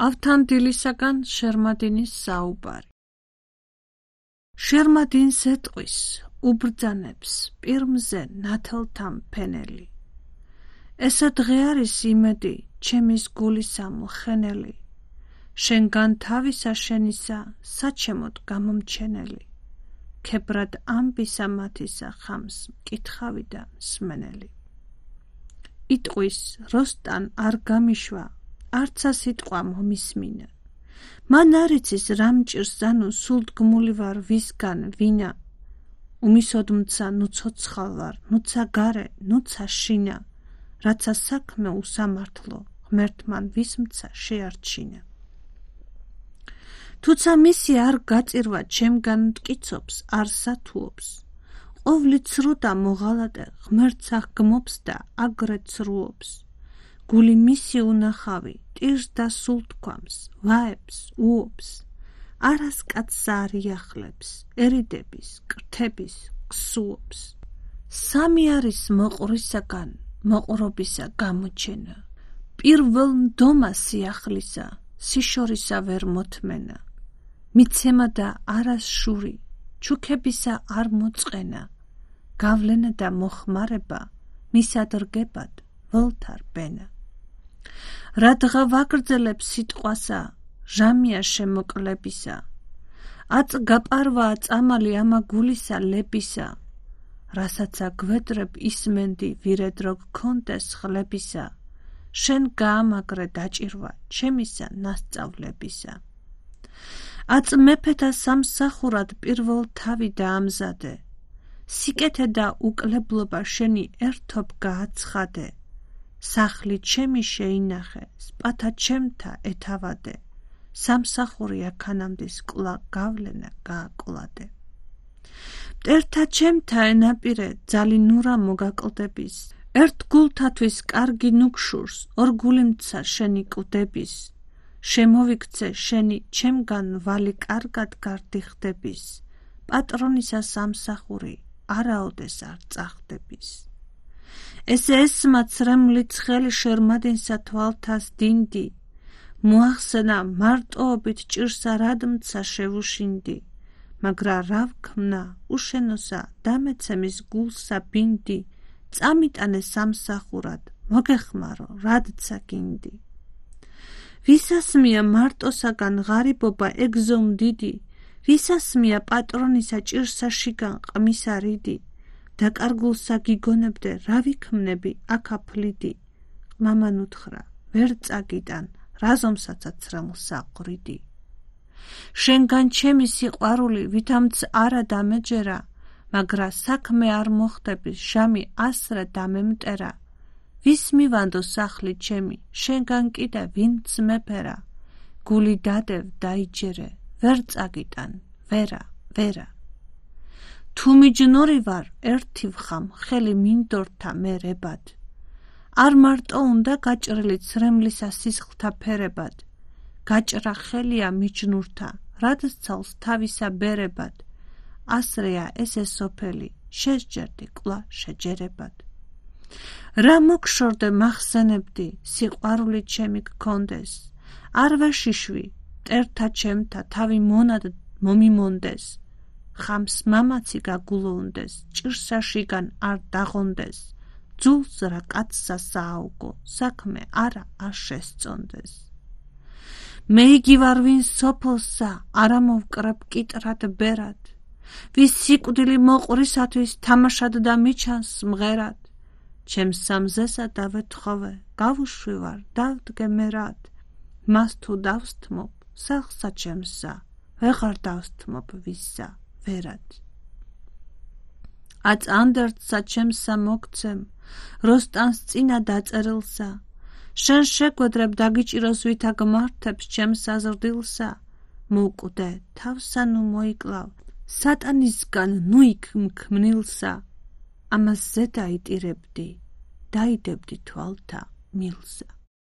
ავთანდილისაგან შერმადინის საუბარი. შერმადინს ეტყვის, უბრძანებს პირმზე ნათელთა მფენელი. ესა დღე არის იმედი, ჩემის გულისა მხენელი. შენგან თავისა შენისა, საჩემოდ გამომჩენელი. ქებრად ამბისა მათისა ხამს მკითხავი და მსმენელი. იტყვის, როსტან არ გამიშვა, არცა სიტყვა მომისმინა. მან არ იცის რა მჭირს ზანუ სულდგმული ვარ ვისგან ვინა. უმისოდმცა ნუ ცოცხალ ვარ, ნუცა გარე, ნუცა შინა. რაცა საქმე უსამართლო, ღმერთმან ვისმცა შეარჩინა. თუცა მისი არ გაწირვა ჩემგან მტკიცობს, არ სათუობს. ყოვლი ცრუ და მოღალატე ღმერთს აღგმობს და აგრე ცრუობს. გული მისი უნახავი, ტირს და სულ თქვამს, ვაებს, უობს. არას კაცსა არ იახლებს, ერიდების, კრთების, ქსუობს. სამი არის მოყვრისაგან, მოყრობისა გამოჩენა. პირველ მდომა სიახლისა, სიშორისა ვერ მოთმენა. მიცემა და არას შური, ჩუქებისა არ მოწყენა. გავლენა და მოხმარება, მისადრგებად, ველთარ ბენა. რადღა ვაგრძელებს სიტყვასა, ჟამია შემოკლებისა. აწ გაპარვაა წამალი ამა გულისა ლებისა. რასაცა გვედრებ ისმენდი ვირედ რო გქონდეს ხლებისა. შენ გაამაგრე დაჭირვა ჩემისა ნასწავლებისა. აწ მეფეთა სამსახურად პირველ თავი დაამზადე. სიკეთე და უკლებლობა შენი ერთობ გააცხადე. სახლი ჩემი შეინახე, სპათა ჩემთა ეთავადე. სამსახური აქანამდის კლა გავლენა გააკლადე. მტერთა ჩემთა ენაპირე ძალი ნურა მოგაკლდების. ერთ გულთათვის კარგი ნუგშურს, ორ გულიმცა შენი კვდების. შემოვიქცე შენი ჩემგან ვალი კარგად გარდიხდების. პატრონისა სამსახური არაოდეს არ წახდების. ესე ესმა ცრემლი ცხელი შერმადინსა თვალთას დინდი. მოახსენა მარტოობით ჭირსა რადმცა შევუშინდი. მაგრა რა ვქმნა უშენოსა დამეცემის გულსა ბინდი. წამიტანე სამსახურად მოგეხმარო რადცა გინდი. ვისასმია მარტოსაგან ღარიბობა ეგზომ დიდი. ვისასმია პატრონისა ჭირსა შიგან ყმისა რიდი. დაკარგულსა გიგონებდე რა ვიქმნები აკაფლიდი. ყმამან უთხრა ვერ წაგიტან რაზომსაცა ცრემლსა ყვრიდი. შენგან ჩემი სიყვარული ვითამც არა დამეჯერა. მაგრა საქმე არ მოხდები ჟამი ასრე დამემტერა. ვის მივანდო სახლი ჩემი შენგან კიდე ვინც მეფერა. გული დადევ დაიჯერე ვერ წაგიტან ვერა ვერა. თუ მიჯნური ვარ ერთი ვხამ ხელი მინდორთა მერებად. არ მარტო უნდა გაჭრილი ცრემლისა სისხლთა ფერებად. გაჭრა ხელია მიჯნურთა რადცალს თავისა ბერებად. ასრეა ესე სოფელი შესჯერდი კვლავ შეჯერებად. რა მოგშორდე მახსენებდი სიყვარული ჩემი გქონდეს. არ ვაშიშვი მტერთა ჩემთა თავი მონად მომიმონდეს. ხამს მამაცი გაგულონდეს ჭირსა შიგან არ დაღონდეს. ძულს რა კაცსა სააუგო საქმე არა არ შესწონდეს. მე იგი ვარ ვინ სოფლსა არა მოვკრებ კიტრად ბერად. ვის სიკვდილი მოყვრისათვის თამაშად და მიჩანს მღერად. ჩემს სამზესა დავეთხოვე გავუშვი ვარ დავდგე მერად. მას თუ დავსთმობ სახლსა ჩემსა ვეღარ დავსთმობ ვისა ვერად. აწ ანდერთსა ჩემსა მოგცემ როსტანს წინა დაწერილსა. შენ შეგვედრებ დაგიჭიროს ვითა გმართებს ჩემს აზრდილსა. მოვკვდე თავსა ნუ მოიკლავ სატანისგან ნუ იქ მქმნილსა. ამას ზე დაიტირებდი დაიდებდი თვალთა მილსა.